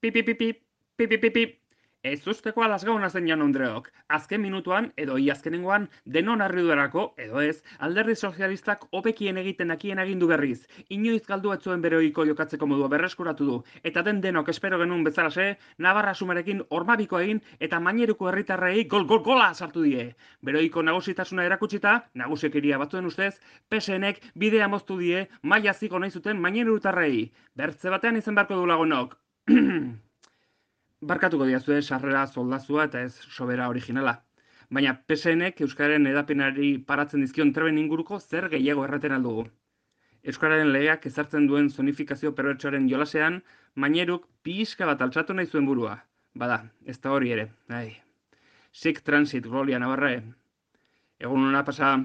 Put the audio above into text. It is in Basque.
Pipipipi, pipipipi. Ez usteko alasgauna zen Jaun Andreok. Azken minutuan, edo iazkenengoan, denon harriduerako, edo ez, alderdi sozialistak hobekien egiten dakien agindu berriz. Inoiz galdu ez zuen bere ohiko jokatzeko modua berreskuratu du. Eta denok espero genuen bezalase, Navarra sumarekin hormabiko egin eta maineruko herritarrei gola sartu die. Bere ohiko nagusitasuna erakutsita, nagusiekeria batzuen ustez, PSNek bidea moztu die maila ziko nahi zuten mainerutarrei. Bertze batean izan beharko du lagunok. Barkatuko diazue sarrera soldazua eta ez sobera originala. Baina PSNek Euskararen edapenari paratzen dizkion treben inguruko zer gehiago erraten aldugu. Euskararen legeak ezartzen duen zonifikazio perbertsoaren jolasean, maineruk pixka bat altzatu nahi zuen burua. Bada, ez da hori ere. Sic transit, Gloria Navarre. Egun hona pasa,